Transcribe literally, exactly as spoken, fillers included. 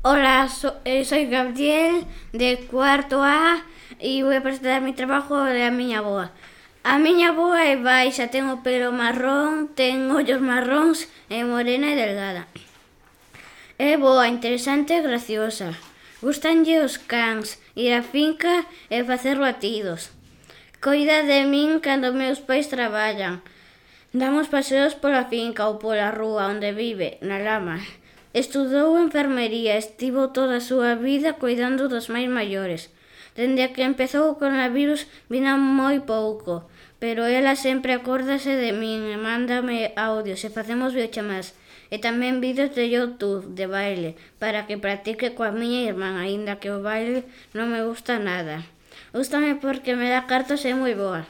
Hola, so- eh, soy Gabriel de cuarto A e vou a presentar mi trabajo da miña avoa. A miña avoa é baixa, ten o pelo marrón, ten ollos marróns, é morena e delgada. É boa, interesante e graciosa. Gustanlle os cans, ir á finca e facer batidos. Coida de min cando meus pais traballan. Damos paseos pola finca ou pola rúa onde vive, na lama. Estudou enfermería, estivo toda a súa vida cuidando dos máis maiores. Dende que empezou o coronavirus vina moi pouco, pero ela sempre acórdase de min e mándame audios e facemos videochamadas e tamén vídeos de YouTube de baile para que practique coa miña irmán, aínda que o baile non me gusta nada. Gústame porque me dá cartos e é moi boa.